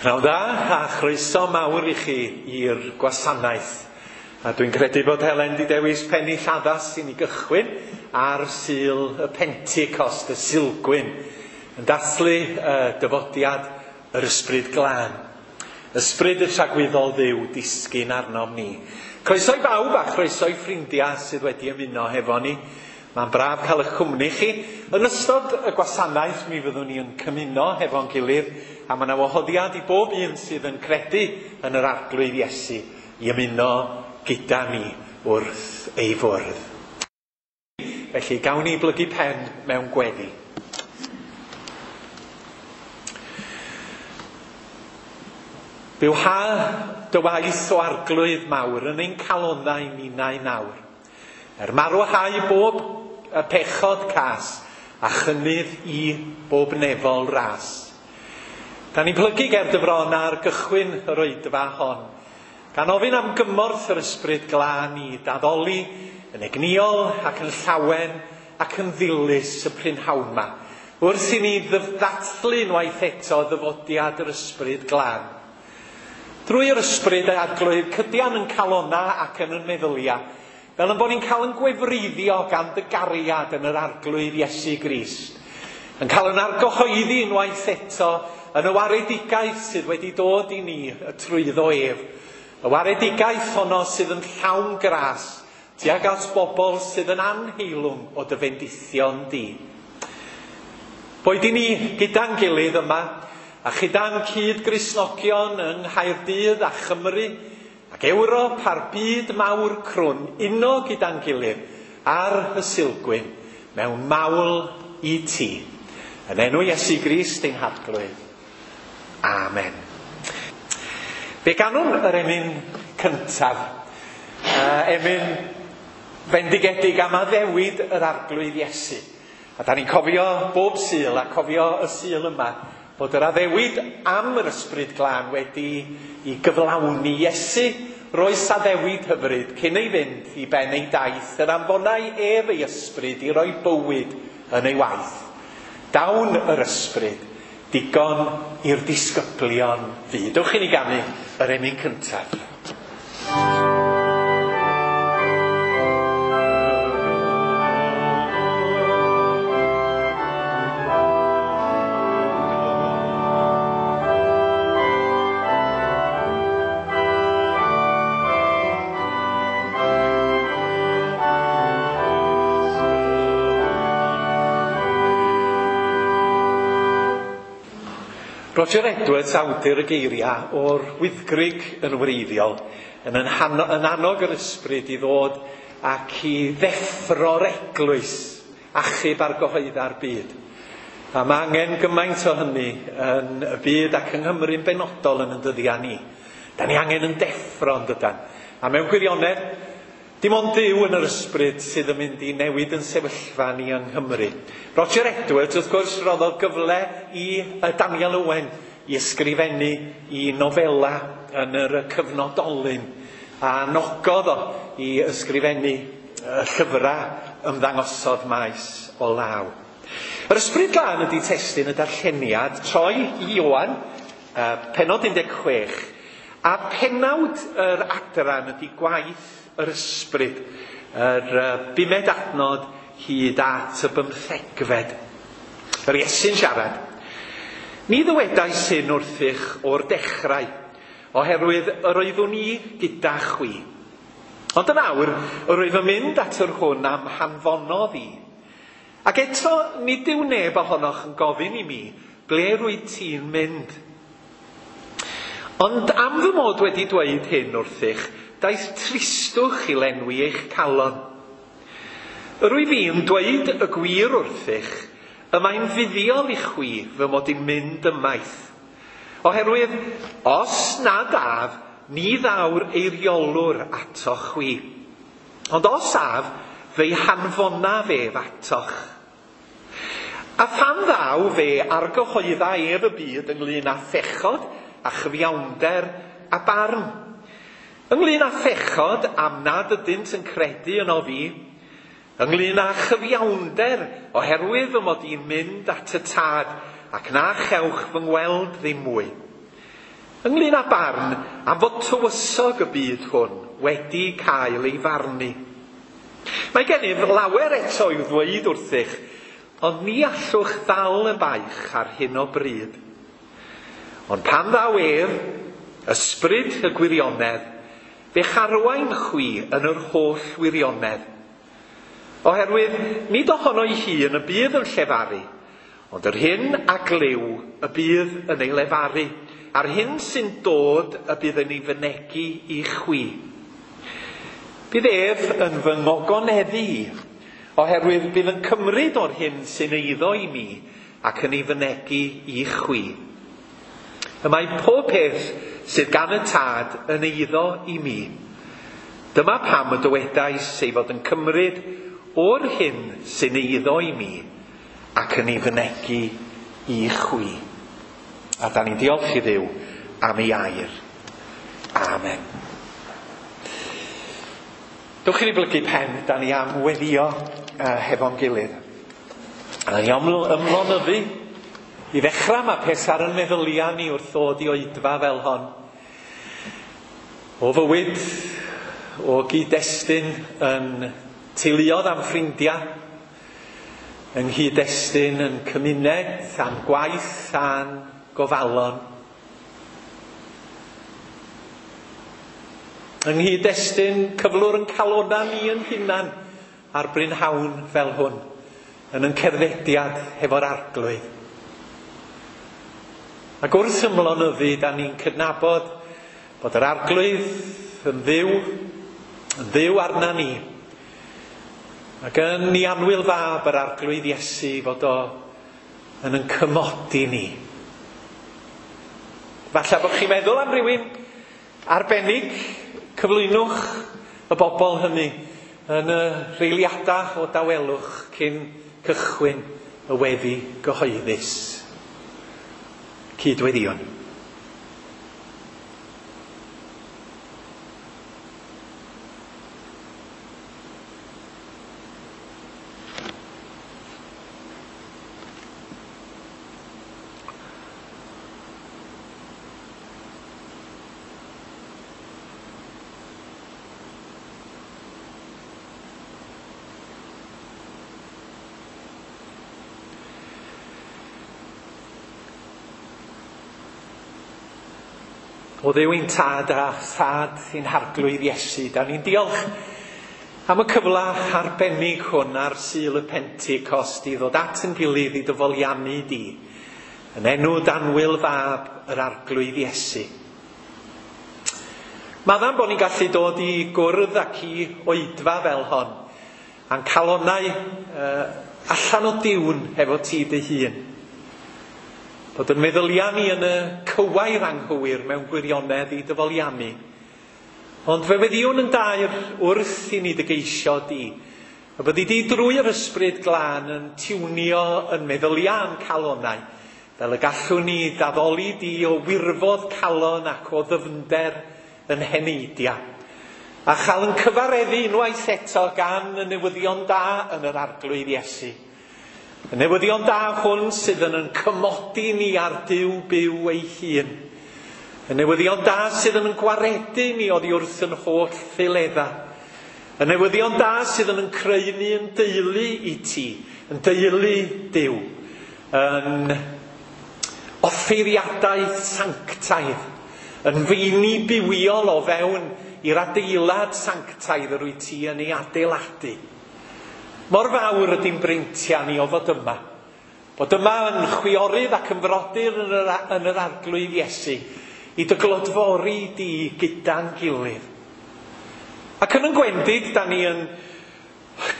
Pnawn da a chroeso mawr i chi i'r gwasanaeth. A dwi'n credu bod Helen 'di dewis pennill addas i ni gychwyn ar Sul y Pentecost, y Sulgwyn, yn dathlu dyfodiad yr Ysbryd Glân. Ysbryd y tragwyddol Dduw disgyn arnom ni. Croeso i bawb a chroeso i ffrindiau sydd wedi ymuno hefo ni. Mae'n braf cael eich cwmni chi. Yn ystod y gwasanaeth mi fyddwn ni yn cymuno hefo'n gilydd, a mae yna wahoddiad i bob un sydd yn credu yn yr Arglwydd Iesu i ymuno gyda ni wrth ei fwrdd. Felly, gawn ni blygu pen mewn gweddi. Bywha dy waith o Arglwydd mawr yn ein calonnau ninnau nawr. Er marwhau bob y pechod cas a chynnydd i bob nefol ras. Da ni'n plygu ger dy fron ar gychwyn yr oedfa hon, gan ofyn am gymorth yr Ysbryd Glân i daddoli yn egnïol ac yn llawen ac yn ddilys y prynhawn 'ma, wrth i ni ddathlu unwaith eto ddyfodiad yr Ysbryd Glân. Drwy yr Ysbryd y Arglwydd, cydian yn calonna ac yn yn meddylia, fel yn bod ni'n cael yn gwefreiddio gan dy gariad yn yr Arglwydd Iesu Grist, yn cael yn argyhoeddi unwaith eto yn y waredigaeth sydd wedi dod i ni y trwyddo ef, y waredigaeth honno sydd yn llawn gras tuag at bobl sydd yn anheilwng o dy fendithion di. Boed i ni gyda'n gilydd yma, a chyda'n cyd-Gristnogion yng Nghaerdydd a Chymru, ac Ewrop a'r byd mawr crwn, uno gyda'n gilydd ar y Sulgwyn mewn mawl i ti. Yn enw Iesu Grist ein Harglwydd. Amen. Fe ganwn yr emyn cyntaf, emyn fendigedig am addewid yr Arglwydd Iesu. A da ni'n cofio bob Sul a cofio y Sul yma bod yr addewid am yr Ysbryd Glân wedi i gyflawni. Iesu roes addewid hyfryd cyn ei fynd i ben ei daith, yr anfonai ef ei ysbryd i roi bywyd yn ei waith. Dawn yr ysbryd, digon i'r disgyblion fu. Dewch i ni ganu yr emyn cyntaf. Roger Edwards, awdur y geiriau o'r Wyddgrug yn wreiddiol, yn annog yr ysbryd i ddod ac i ddeffro'r eglwys, achub ar gyhoedda'r byd. A mae angen gymaint o hynny yn y byd ac yng Nghymru'n benodol yn y dyddiau ni. Da ni angen yn deffro yn dydan. A mewn gwirionedd, dim ond Duw yn yr ysbryd sydd yn mynd i newid yn sefyllfa ni yng Nghymru. Roger Edwards, wrth gwrs, roddodd gyfle i Daniel Owen i ysgrifennu i nofela yn yr cyfnodolyn, a anogodd o i ysgrifennu llyfrau ymddangosodd maes o law. Yr Ysbryd Glân ydy testun y darlleniad, troi i Ioan, pennod 16, a pennawd yr adran ydy gwaith yr ysbryd, yr bumed adnod hyd at y bymthegfed. Yr Iesu'n siarad. Ni ddywedais hyn wrthych o'r dechrau, oherwydd yr oeddwn i gyda chwi. Ond yn awr, yr wyf yn mynd at yr hwn am hanfonodd i. Ac eto, nid yw neb ohonoch yn gofyn i mi, ble rwyt ti'n mynd? Ond am fy mod wedi dweud hyn wrthych, daeth tristwch i lenwi eich calon. Yr wyf i'n dweud y gwir wrthych, y mae'n fuddiol i chwi fy mod i'n mynd ymaith. Oherwydd, os nad af, ni ddaw'r eiriolwr atoch chwi. Ond os af, fe'i hanfonaf ef atoch. A phan ddaw fe argyhoedda ef y byd ynglyn â phechod a chyfiawnder a barn. Ynglyn â phechod am nad ydynt yn credu yno fi, ynglyn â chyfiawnder oherwydd fy mod i'n mynd at y Tad ac na chewch fy ngweld ddim mwy. Ynglyn â barn am fod tywysog y byd hwn wedi cael ei farnu. Mae gennyf lawer eto i'w ddweud wrthych, ond ni allwch ddal y baich ar hyn o bryd. Ond pan ddaw ef, ysbryd y gwirionedd, fe'ch arwain chwi yn yr holl wirionedd. Oherwydd nid ohono'i hun y bydd yn llefaru, ond yr hyn a glyw y bydd yn ei lefaru, a'r hyn sy'n dod y bydd yn ei fynegi i chwi. Bydd ef yn fy ngogoneddu i, oherwydd bydd yn cymryd o'r hyn sy'n eiddo i mi ac yn ei fynegi i chwi. Y mae pob peth sydd gan y Tad yn eiddo i mi. Dyma pam y dywedais ei fod yn cymryd o'r hyn sy'n eiddo i mi ac yn ei fynegi i chwi. A da ni'n diolch i Dduw am ei air. Amen. Dewch i ni blygu pen, da ni am weddio hefo'n gilydd. A ni am ymlonyddu. I ddechrau mae peth ar yn meddyliau ni wrth ddod i oedfa fel hon. O fywyd, o gyd-destun yn teuluodd am ffrindiau, yng nghyd-destun yn cymuned, am gwaith a'n gofalon. Yng nghyd-destun cyflwr yn calona ni yn hunan ar brynhawn fel hwn, yn yn cerddediad hefo'r Arglwydd. Ac wrth ymlonyddu, da ni'n cydnabod bod yr Arglwydd yn dduw arna ni. Ac yn ei annwyl fab yr Arglwydd Iesu fod o yn yn cymodi ni. Falle bod chi'n meddwl am rywun arbennig, cyflwynwch y bobl hynny yn y reiliadau o dawelwch cyn cychwyn y weddi gyhoeddus. Cydweddïwn. O Dduw ein Tad a Thad ein Harglwydd Iesu, da ni'n diolch am y cyfle arbennig hwn ar Sul y Pentecost i ddod at yn gilydd i dyfoliannu di, yn enw d'annwyl fab yr Arglwydd Iesu. Maddam bod ni'n gallu dod i gwrdd ac i oedfa fel hon, a'n calonnau allan o diwn hefo ti dy hun. Bod yn meddyliau ni yn y cywair anghywir mewn gwirionedd i dyfoliannu. Ond fe weddïwn yn daer wrth i ni dy geisio di, y byddi di drwy yr ysbryd glân yn tiwnio yn meddyliau a'n calonnau, fel y gallwn ni daddoli di o wirfodd calon ac o ddyfnder yn heneidia. A chael yn cyfareddu unwaith eto gan y newyddion da yn yr Arglwydd Iesu. Y newyddion da hwn sydd yn cymodi ni ar Duw byw ei hun. Y newyddion da sydd yn gwaredu ni oddi wrth yn holl ffiledda. Y newyddion da sydd yn creu ni yn deulu i ti, yn deulu Duw, yn offeiriadaeth sanctaidd, yn feini bywiol o fewn i'r adeilad sanctaidd yr wyt ti yn ei adeiladu. Mor fawr ydy'n breintiau ni o fod yma. Bod yma yn chwiorydd ac yn frodyr yn yr Arglwydd Iesu, i dy glodfori di gyda'n gilydd. Ac yn yn gwendid, da ni yn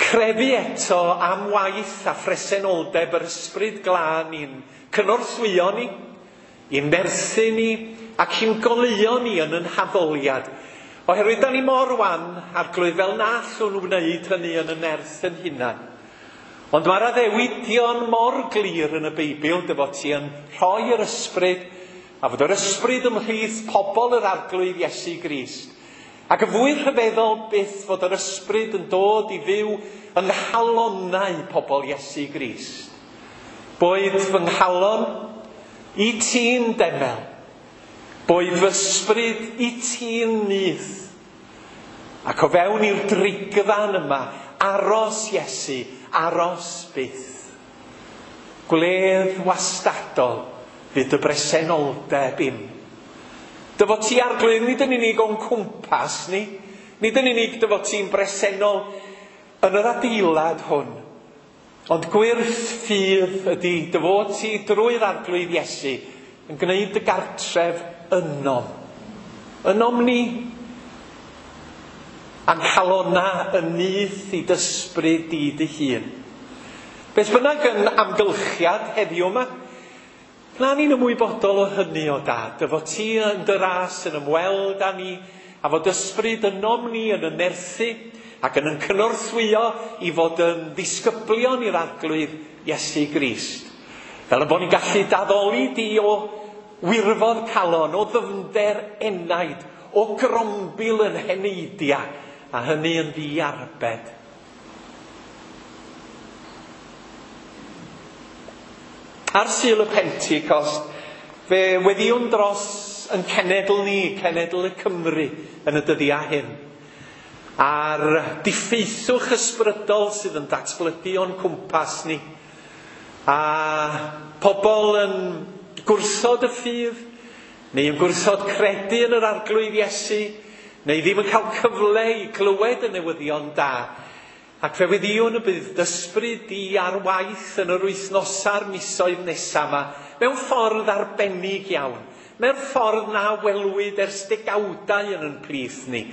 crefu eto am waith a phresenoldeb yr ysbryd glân i'n cynorthwyo ni, i'n nerthu ni, ac i'n goleuo ni yn yn haddoliad. Oherwydd da ni mor wan, Arglwydd, fel na allwn wneud hynny yn y nerth yn hunan. Ond mae'r addewidion mor glir yn y Beibl dy fod ti yn rhoi yr ysbryd, a fod yr ysbryd ymhlith pobl yr Arglwydd Iesu Grist. Ac y fwy rhyfeddol byth fod yr ysbryd yn dod i fyw yng nghalonnau pobl Iesu Grist. Boed fy nghalon i ti'n demel, Boed fy ysbryd i ti'n nyth. Ac o fewn i'r drigfan yma, aros Iesu, aros byth. Gwledd wastadol fydd dy bresenoldeb im. Dy fod ti Arglwydd nid yn unig o'n cwmpas ni, nid yn unig dy fod ti'n bresennol yn yr adeilad hwn, ond gwyrth ffydd ydy dy fod ti drwy'r Arglwydd Iesu yn gwneud dy gartref ynom. Ynom ni, a'n calona yn nyth i d'ysbryd di dy hun. Beth bynnag yn amgylchiad heddiw yma, na ni'n ymwybodol o hynny o Dad, dy fod ti yn dy ras yn ymweld â ni, a fod ysbryd ynom ni yn y nerthu ac yn cynorthwyo i fod yn ddisgyblion i'r Arglwydd Iesu Grist. Fel y bod ni'n gallu daddoli di o wirfodd calon, o ddyfnder enaid, o grombil yn heneidia, a hynny yn ddiarbed. Ar Sul y Pentecost, fe weddïwn dros yn cenedl ni, cenedl y Cymru, yn y dyddiau hyn. A'r diffeithwch ysbrydol sydd yn datblygu o'n cwmpas ni. A pobl yn gwrthod y ffydd, neu yn gwrthod credu yn yr Arglwydd Iesu, neu ddim yn cael cyfle i glywed y newyddion da. Ac fe weddïwn y bydd d'ysbryd di ar waith yn yr wythnosa'r misoedd nesaf yma, mewn ffordd arbennig iawn, mewn ffordd na welwyd ers degawdau yn ein plith ni,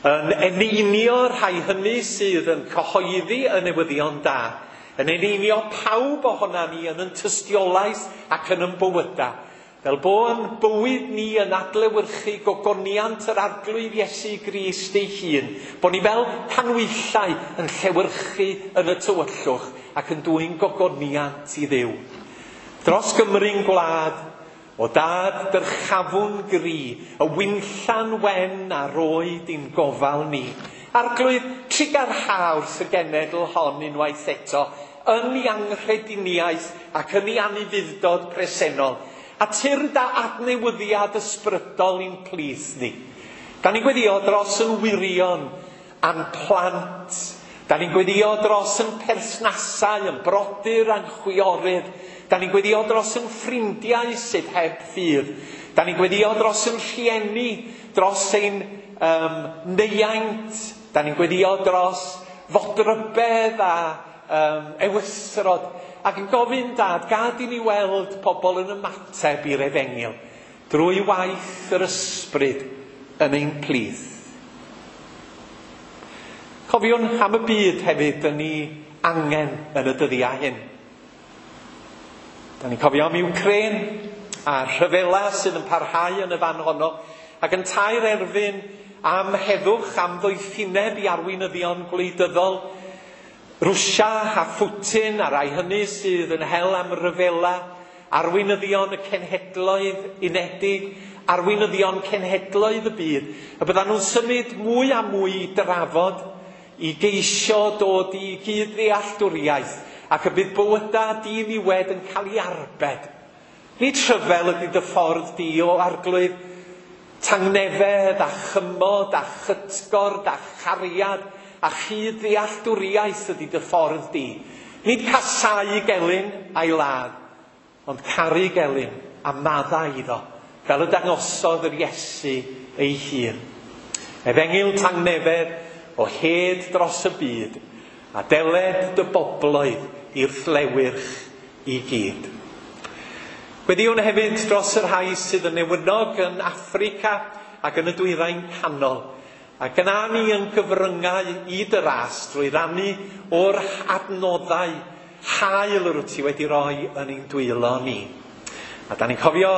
yn eneinio rhai hynny sydd yn cyhoeddi y newyddion da, yn eneinio pawb ohona ni yn yn tystiolaeth ac yn yn bywyda, fel bo'n bywyd ni yn adlewyrchu gogoniant yr Arglwydd Iesu Grist ei hun, bo ni fel canhwyllau yn llewyrchu yn y tywyllwch ac yn dwyn gogoniant i Dduw. Dros Gymru'n gwlad, o Dad dyrchafwn gri, y winllan wen a roed i'n gofal ni. Arglwydd, trugarha wrth y genedl hon unwaith eto, yn ei anghrediniaeth ac yn ei anufudd-dod presennol, a tyrd â adnewyddiad ysbrydol i'n plith ni. Da ni'n gweddio dros yn wirion a'n plant. Da ni'n gweddio dros yn perthnasau, yn brodyr a'n chwiorydd. Da ni'n gweddio dros yn ffrindiau sydd heb ffydd. Da ni'n gweddio dros yn rhieni, dros ein neiaint. Da ni'n gweddio dros fodrybedd a ewysrod. Ac yn gofyn Dad, gad i ni weld pobl yn ymateb i'r efengyl drwy waith yr ysbryd yn ein plith. Cofiwn am y byd hefyd yn ni angen yn y dyddiau hyn. Da ni'n cofio am Ukraine a'r rhyfela sydd yn parhau yn y fan honno, ac yn tair erfyn am heddwch, am ddoethineb i arweinyddion gwleidyddol, Rwsia a Putin a rai hynny sydd yn hel am ryfela, arweinyddion y cenhedloedd unedig, arweinyddion cenhedloedd y byd, y byddan nhw'n symud mwy a mwy i drafod, i geisio dod i gyd-ddealltwriaeth, ac y bydd bywydau diniwed yn cael ei arbed. Nid rhyfel ydy dy ffordd di o Arglwydd, tangnefedd a chymod a chytgord a chariad a chyd-ddealltwriaeth ydy dy ffordd di. Nid casau gelyn a'i ladd, ond caru gelyn a maddau iddo, fel y dangosodd yr Iesu ei hun. Efengyl tangnefedd o hyd dros y byd, a deled dy bobloedd i'r llewyrch i gyd. Gweddïwn hefyd dros y rhai sydd yn newynog yn Affrica ac yn y Dwyrain Canol, ac yna ni yn gyfryngau i dy ras drwy rannu o'r adnoddau hael yr wyt ti wedi roi yn ein dwylo ni. A da ni'n cofio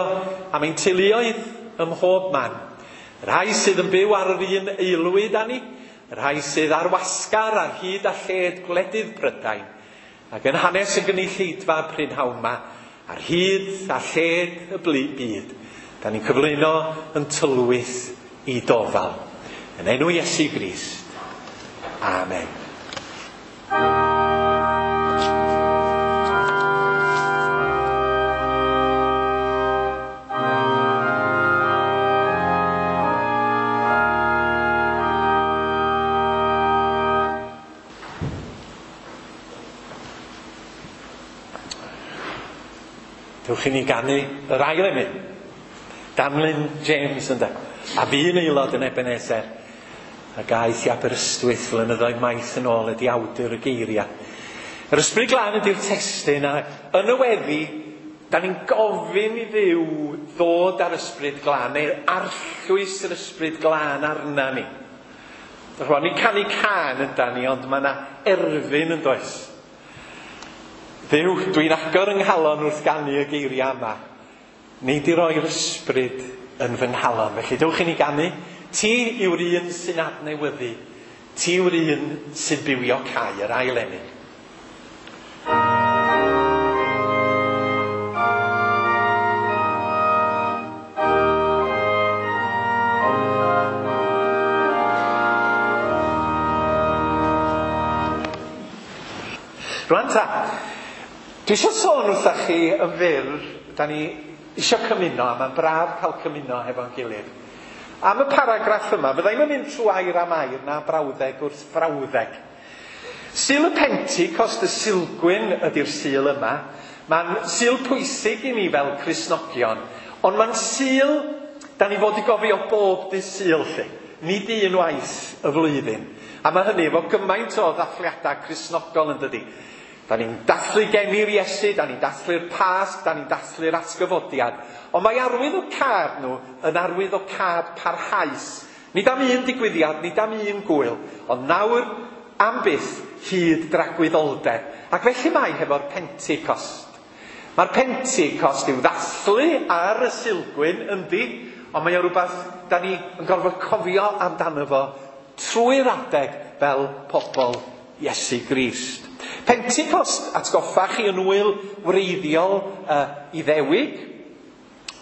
am ein teuluoedd ym mhob man. Y rhai sydd yn byw ar yr un aelwyd â ni, y rhai sydd ar wasgar ar hyd a lled gwledydd Prydain, ac yn hanes y gynulleidfa prynhawn 'ma, ar hyd a lled y byd, da ni'n cyflwyno yn tylwyth i dofal. Yn enw Iesu Grist. Amen. Dewch i ni ganu yr ail emyn. Danlyn James ynde. A fu'n aelod yn Ebenezer. Ac aeth i Aberystwyth flynyddoedd maith yn ôl ydi awdur y geiriau. Yr Ysbryd Glân ydy'r testun, a yn y weddi, da ni'n gofyn i Dduw ddod ar Ysbryd Glân, neu arllwys yr Ysbryd Glân arna ni. Rwan, ni'n canu cân yndan ni, ond mae yna erfyn yn does. Dduw, dwi'n agor yng nghalon wrth ganu y geiriau yma. Nei di roi'r ysbryd yn fy nghalon. Felly, dewch i ni ganu. Ti yw'r un sy'n adnewyddu. Ti yw'r un sy'n bywio cae, yr ail emyn. Rwan ta, dwi eisiau sôn wrthach chi yn fyr, da ni eisiau cymuno, a mae'n braf cael cymuno hefo'n gilydd. Am y paragraff yma, fydda i'm yn mynd trwy air am air na brawddeg wrth frawddeg. Sul y Pentecost, y Sulgwyn ydy'r Sul yma. Mae'n Sul pwysig i ni fel Cristnogion, ond mae'n Sul da ni fod i gofio bob dydd Sul 'lly, nid un waith y flwyddyn. A mae hynny efo gymaint o ddathliadau Cristnogol yn dydi. Da ni'n dathlu geni'r Iesu, da ni'n dathlu'r Pasg, da ni'n dathlu'r atgyfodiad. Ond mae arwydd o cad nhw yn arwydd o cad parhaus. Nid am un digwyddiad, nid am un gwyl, ond nawr am byth hyd dragwyddoldeb. Ac felly mae hefo'r Pentecost. Mae'r Pentecost i'w ddathlu ar y Sulgwyn, yndi, ond mae o rhywbeth da ni yn gorfod cofio amdano fo trwy'r adeg fel pobl Iesu Grist. Pentecost, atgoffa chi, yn wyl wreiddiol Iddewig.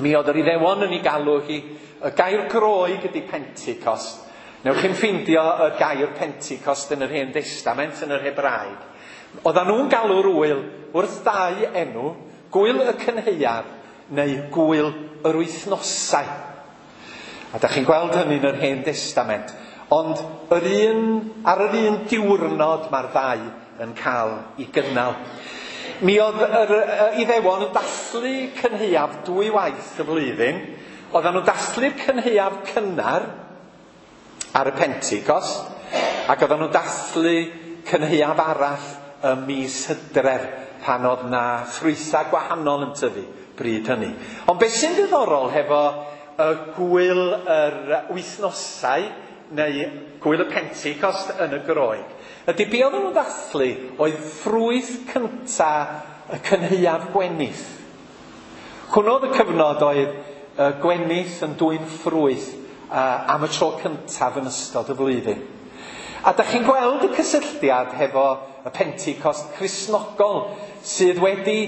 Mi oedd yr Iddewon yn ei galw hi, y gair Groeg ydy Pentecost. Newch chi'n ffeindio y gair Pentecost yn yr Hen Destament, yn yr Hebraeg. Oedden nhw'n galw'r wyl wrth dau enw, Gwyl y Cynhaeaf neu Gwyl yr Wythnosau. A da chi'n gweld hynny yn yr Hen Destament. Ond yr un, ar yr un diwrnod mae'r ddau yn cael ei gynnal. Mi oedd yr Iddewon yn dathlu cynhaeaf dwy waith y flwyddyn. Oedden nhw'n dathlu'r cynhaeaf cynnar ar y Pentecost, ac oedden nhw'n dathlu cynhaeaf arall ym mis Hydref, pan oedd na ffrwythau gwahanol yn tyfu bryd hynny. Ond beth sy'n ddiddorol hefo y gwyl yr wythnosau, neu gwyl y Pentecost yn y Groeg, ydy be oedden nhw'n ddathlu oedd ffrwyth cynta y cynhaeaf gwenith. Hwnnw oedd y cyfnod oedd y gwenith yn dwyn ffrwyth am y tro cyntaf yn ystod y flwyddyn. A da chi'n gweld y cysylltiad hefo y Pentecost Cristnogol sydd wedi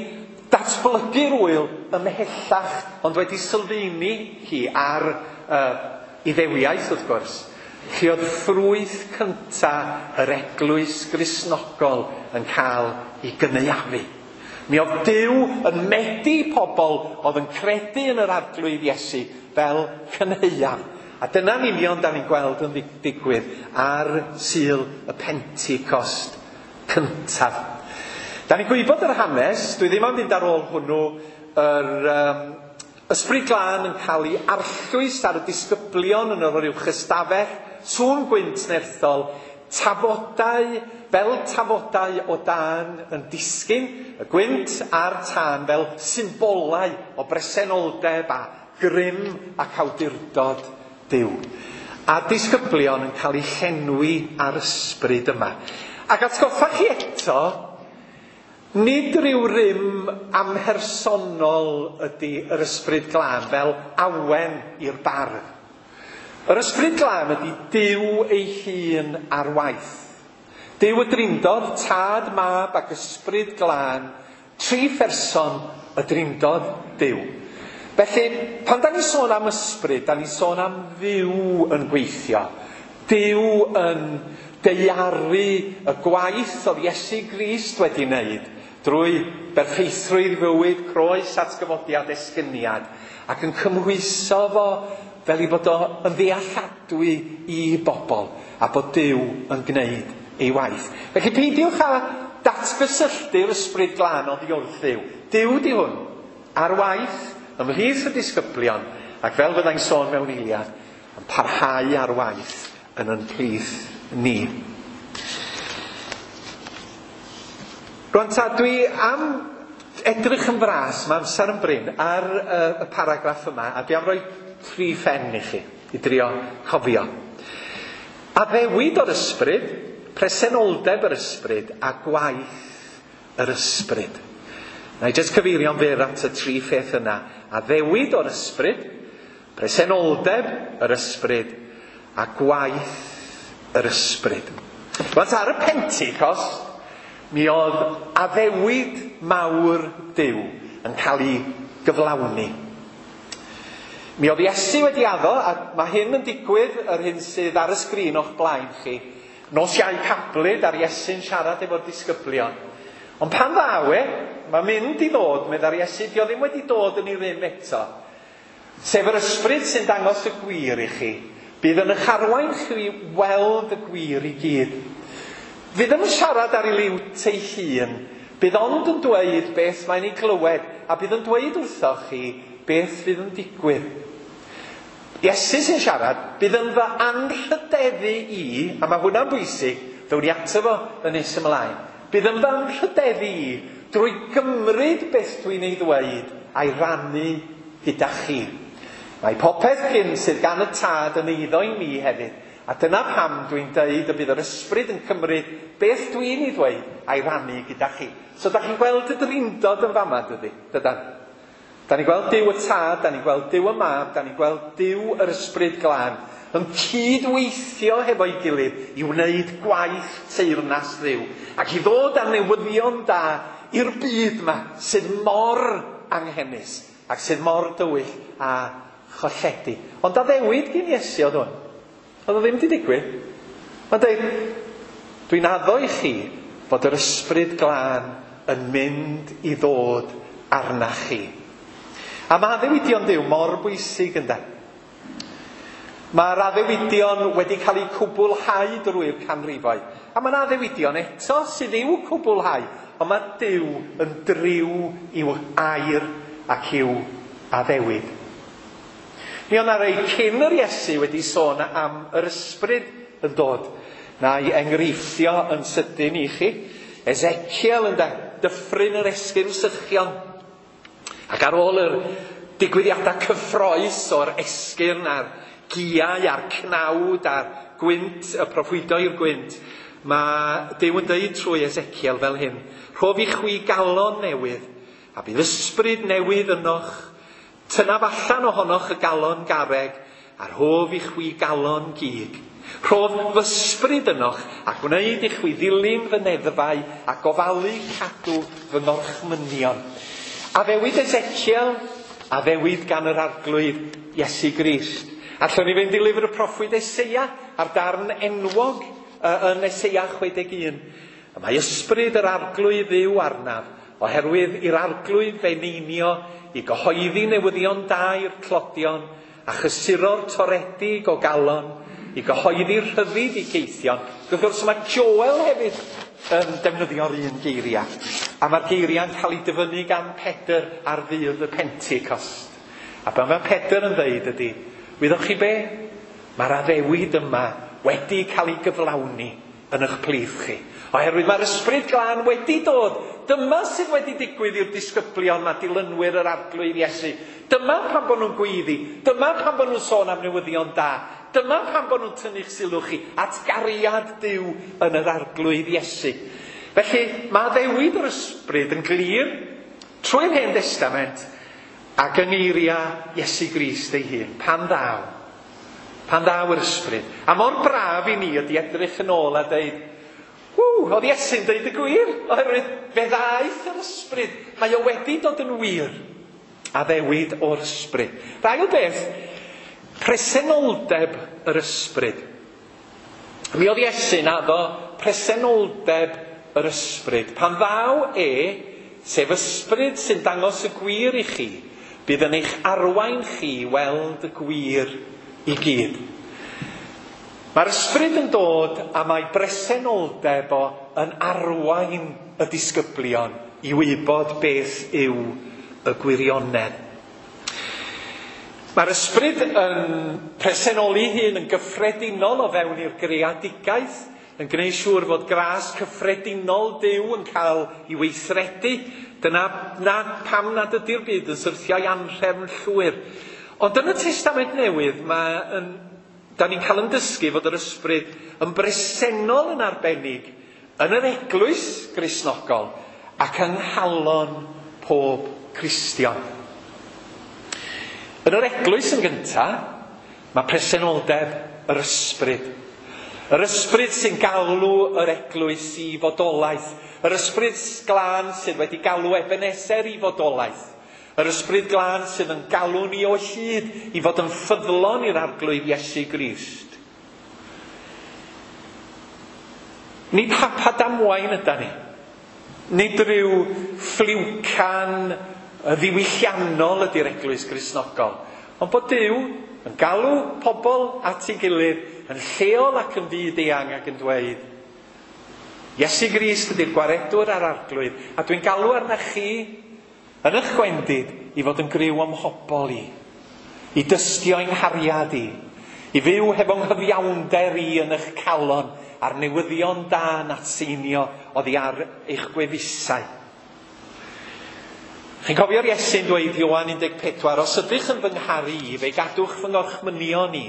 datblygu'r wyl ymhellach, ond wedi sylfaenu hi ar Iddewiaeth, wrth gwrs. Lle oedd ffrwyth cynta yr eglwys Gristnogol yn cael ei gynaeafu. Mi oedd Duw yn medi pobl oedd yn credu yn yr Arglwydd Iesu fel cynhaeaf. A dyna'n union da ni'n gweld yn digwydd ar Sul y Pentecost cyntaf. Da ni'n gwybod yr hanes, dwi ddim am fynd ar ôl hwnnw, yr Ysbryd Glân yn cael ei arllwys ar y disgyblion yn yr uwch ystafell, sŵn gwynt nerthol, tafodau fel tafodau o dân yn disgyn, y gwynt a'r tân fel symbolau o bresenoldeb a grym ac awdurdod Duw. A disgyblion yn cael eu llenwi ar ysbryd yma. Ac atgoffa chi eto, nid rhyw rym amhersonol ydy yr Ysbryd Glân fel awen i'r bardd. Yr Ysbryd Glân ydy Duw ei hun ar waith. Duw y Drindod, Tad, Mab ac Ysbryd Glân, tri pherson y Drindod Duw. Felly, pan da ni'n sôn am ysbryd, da ni'n sôn am Dduw yn gweithio. Duw yn daearu y gwaith oedd Iesu Grist wedi wneud drwy berffeithrwydd fywyd, croes, atgyfodiad, esgyniad, ac yn cymhwyso fo fel i fod o yn ddealladwy i bobl, a bod Duw yn gwneud ei waith. Felly peidiwch â datgysylltu'r Ysbryd Glân oddi wrth Dduw. Duw di hwn. Ar waith, ymhlith y disgyblion, ac fel fyddai'n sôn mewn eiliad, yn parhau ar waith yn yn plith ni. Rwan ta, dwi am edrych yn fras, mae amser yn brin, ar y paragraff yma, a dwi am roi 3 phen i chi, i drio cofio. Addewid o'r ysbryd, presenoldeb yr ysbryd, a gwaith yr ysbryd. Na i jyst cyfeirio'n fyr at y 3 pheth yna. Addewid o'r ysbryd, presenoldeb yr ysbryd, a gwaith yr ysbryd. Rwan ar y Pentecost, mi oedd addewid mawr Duw yn cael ei gyflawni. Mi oedd Iesu wedi addo, a mae hyn yn digwydd, yr hyn sydd ar y sgrin o'ch blaen chi, nos Iau Cablyd a'r Iesu'n siarad efo'r disgyblion. Ond pan ddaw e, mae'n mynd i ddod, meddai'r Iesu, dio ddim wedi dod yn ei rym eto. Sef yr ysbryd sy'n dangos y gwir i chi, bydd yn eich arwain chi weld y gwir i gyd. Fydd yn siarad ar ei liwt ei hun, bydd ond yn dweud beth mae'n ei glywed, a bydd yn dweud wrthoch chi beth fydd yn digwydd. Iesu sy'n siarad, bydd yn fy anrhydeddu i, a mae hwnna'n bwysig, ddown ni ato fo yn nes ymlaen, bydd yn fy anrhydeddu i drwy gymryd beth dwi'n ei ddweud a'i rannu gyda chi. Mae popeth gyn sydd gan y Tad yn eiddo i mi hefyd, a dyna pam dwi'n deud y bydd yr ysbryd yn cymryd beth dwi'n ei ddweud a'i rannu gyda chi. So da chi'n gweld y drindod yn fama, dydy? Dydan? Da ni'n gweld Duw y Tad, da ni'n gweld Duw y Mab, da ni'n gweld Duw yr Ysbryd Glân yn cydweithio hefo'i gilydd i wneud gwaith teyrnas Dduw ac i ddod â newyddion da i'r byd yma sydd mor anghenus ac sydd mor dywyll a cholledig. Ond addewid gyn Iesu oedd hwn. Oedd o ddim wedi digwydd. Mae'n dweud, dwi'n addo i chi fod yr Ysbryd Glân yn mynd i ddod arna chi. A mae addewidion Duw mor bwysig ynde. Mae'r addewidion wedi cael eu cwblhau drwy'r canrifoedd. A mae'n addewidion eto sydd i'w cwblhau, ond mae Duw yn driw i'w air ac i'w addewid. Mi oedd 'na rei cyn yr Iesu wedi sôn am yr ysbryd yn dod. Na i enghreifftio yn sydyn i chi. Ezekiel ynde, dyffryn yr esgyrn sychion. Ac ar ôl yr digwyddiadau cyffrous o'r esgyrn a'r giau a'r cnawd a'r gwynt, y proffwydo i'r gwynt, mae Duw yn dweud trwy Ezekiel fel hyn: rhof i chwi galon newydd, a bydd ysbryd newydd ynoch. Tynaf allan ohonoch y galon garreg, a rhof i chwi galon gig. Rhof f'ysbryd ynoch, a gwneud i chwi ddilyn fy neddfau, a gofalu cadw fy ngorchmynion. Addewid Ezekiel, addewid gan yr Arglwydd Iesu Grist. Allwn ni fynd i lyfr y proffwyd Eseia, a'r darn enwog yn Eseia 61. Y mae ysbryd yr Arglwydd Dduw arnaf, oherwydd i'r Arglwydd feneinio i gyhoeddi newyddion da i'r tlodion, a chysuro'r toredig o galon, i gyhoeddi rhyddid i geithion. Wrth gwrs mae Joel hefyd yn defnyddio'r un geiriau, a mae'r geiriau'n cael ei dyfynnu gan Pedr ar ddydd y Pentecost. A be mae Pedr yn dweud ydy, wyddoch chi be? Mae'r addewid yma wedi cael ei gyflawni yn eich plith chi. Oherwydd mae'r Ysbryd Glân wedi dod. Dyma sydd wedi digwydd i'r disgyblion a dilynwyr yr Arglwydd Iesu. Dyma pan bod nhw'n gweiddi. Dyma pan bod nhw'n sôn am newyddion da. Dyma pan bod nhw'n tynnu'ch sylw chi at gariad Duw yn yr Arglwydd Iesu. Felly mae addewid yr Ysbryd yn glir trwy'r Hen Destament ac yng ngeiriau Iesu Grist ei hun. Pan ddaw yr Ysbryd. A mor braf i ni ydy edrych yn ôl a dweud, oedd Iesu'n dweud y gwir, oherwydd fe ddaeth yr Ysbryd. Mae o wedi dod yn wir. Addewid o'r Ysbryd. Yr ail beth, presenoldeb yr Ysbryd. Mi oedd Iesu'n addo presenoldeb yr Ysbryd. Pan ddaw e, sef Ysbryd sy'n dangos y gwir i chi, bydd yn eich arwain chi weld y gwir i gyd. Mae'r Ysbryd yn dod a mae bresenoldeb o yn arwain y disgyblion i wybod beth yw y gwirionedd. Mae'r ysbryd yn presenoli hun yn gyffredinol o fewn i'r greadigaeth, yn gwneud siŵr fod gras cyffredinol Duw yn cael ei weithredu. Dyna na, pam nad ydy'r byd yn syrthio i anrhefn llwyr. Ond yn y Testament Newydd, da ni'n cael yn dysgu fod yr ysbryd yn bresennol yn arbennig yn yr eglwys Gristnogol ac yng nghalon pob Cristion. Yn yr eglwys yn gyntaf, mae presenoldeb yr ysbryd. Yr ysbryd sy'n galw yr eglwys i fodolaeth. Yr ysbryd glân sydd wedi galw Ebeneser i fodolaeth. Yr ysbryd glân sydd yn galw ni o hyd i fod yn ffyddlon i'r Arglwydd Iesu Grist. Nid hap a damwain yda ni. Nid rhyw ffliwcan ddiwylliannol ydy'r eglwys Gristnogol. Ond bod Duw yn galw pobl at ei gilydd yn lleol ac yn fyd eang ac yn dweud, Iesu Grist ydy'r gwaredwr a'r arglwydd, a dwi'n galw arna chi yn eich gwendid i fod yn griw o'm mhobol i, i dystio i'n nghariad i, i fyw hefo nghyfiawnder i yn eich calon a'r newyddion da yn atseinio oddi ar eich gwefusau. Chi'n cofio'r Iesu'n dweud Ioan 14, os ydych yn fy ngharu i, fe gadwch fy ngorchmynion i,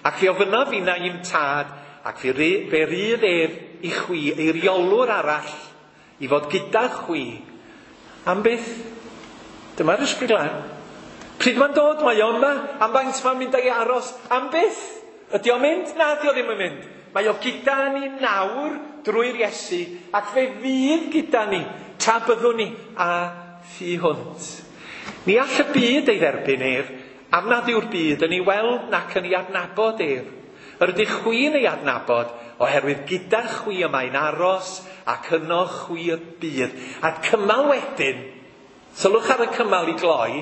ac fe ofynnaf finna i'm tad, ac fe rydd ef i chwi eiriolwr arall i fod gyda chwi. Am byth? Dyma'r ysbryd glân. Pryd mae'n dod, mae o yma, am faint mae'n mynd ag i aros, am byth? Ydy o'n mynd? Na, ydy o ddim yn mynd. Mae o gyda ni nawr drwy'r Iesu, ac fe fydd gyda ni tra byddwn ni a thu hwnt. Ni all y byd ei dderbyn ef, am nad yw'r byd yn ei weld nac yn ei adnabod ef. Yr ydych chwi'n ei adnabod, oherwydd gyda chwi y mae'n aros ac yno chwi y bydd. A cymal wedyn, sylwch ar y cymal i gloi,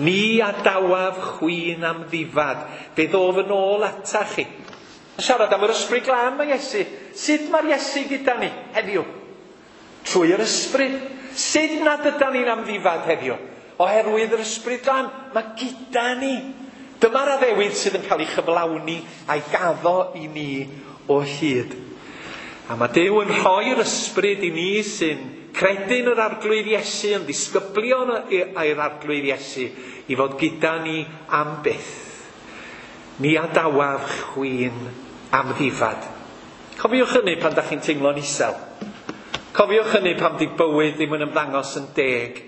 ni adawaf chwi'n amddifad, fe ddof yn ôl ata chi. Siarad am yr ysbryd glân mae Iesu. Sut mae'r Iesu gyda ni heddiw? Trwy yr ysbryd. Sut nad ydan ni'n amddifad heddiw? Oherwydd yr ysbryd glân, mae gyda ni. Dyma'r addewid sydd yn cael ei chyflawni a'i gaddo i ni o hyd. A mae Duw yn rhoi'r ysbryd i ni sy'n credu'n yr Arglwydd Iesu, yn ddisgyblion i'r Arglwydd Iesu, i fod gyda ni am byth. Ni adawaf chwi'n amddifad. Cofiwch hynny pan da chi'n teimlo'n isel. Cofiwch hynny pan di bywyd ddim yn ymddangos yn deg.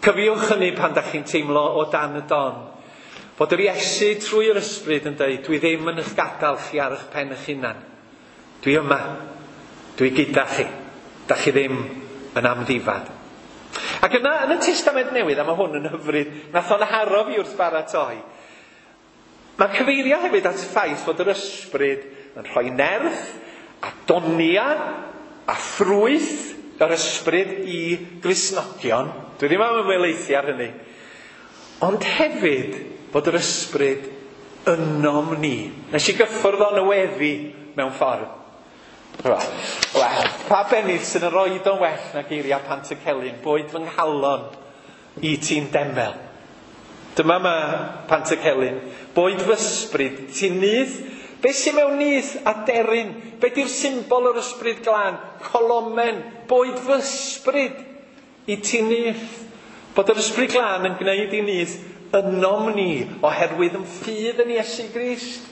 Cofiwch hynny pan da chi'n teimlo o dan y don. Bod yr Iesu trwy'r ysbryd yn dweud, dwi ddim yn eich gadael chi ar eich pen eich hunan. Dwi yma. Dwi gyda chi. Da chi ddim yn amddifad. Ac yna, yn y Testament Newydd, a mae hwn yn hyfryd, nath o'n haro fi wrth baratoi, mae'n cyfeirio hefyd at y ffaith fod yr ysbryd yn rhoi nerth a donia a ffrwyth yr ysbryd i Gristnogion. Dwi ddim am ymwelaethu ar hynny. Ond hefyd fod yr ysbryd ynom ni. Nes i gyffwrdd o'n y weddi mewn ffordd. Wel, pa bennill sydd yn roed o'n well na geiriau Pantycelyn, boed fy nghalon i ti'n demel. Dyma mae Pantycelyn, boed fy ysbryd, ti'n nyth. Be sy'n mewn nyth a deryn? Be di'r symbol o'r ysbryd glân? Colomen, boed fy ysbryd i ti'n nyth. Bod yr ysbryd glân yn gwneud i nyth ynom ni oherwydd yn ffydd yn Iesu Grist.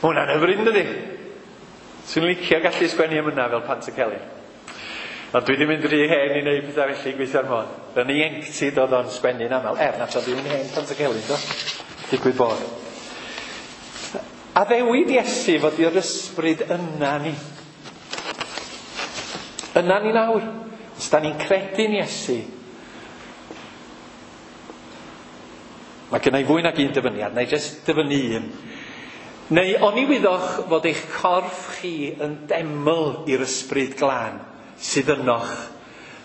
Hwnna'n hyfryd, dydi? Swn licio gallu sgwennu am yna fel Pantycelyn. Ond dwi wedi mynd rhy hen i wneud pethau felly gweithio'r modd. Yn ieuenctid oedd o'n sgwennu'n aml. Nath o ddim yn hen Pantycelyn, do? Digwydd bod. Addewid Iesu fod i'r ysbryd yna ni. Yna ni nawr. Os da ni'n credu'n Iesu, mae gen i fwy nag un dyfyniad, neu jyst dyfynnu un. Neu oni wyddoch fod eich corff chi yn deml i'r ysbryd glân sydd ynoch,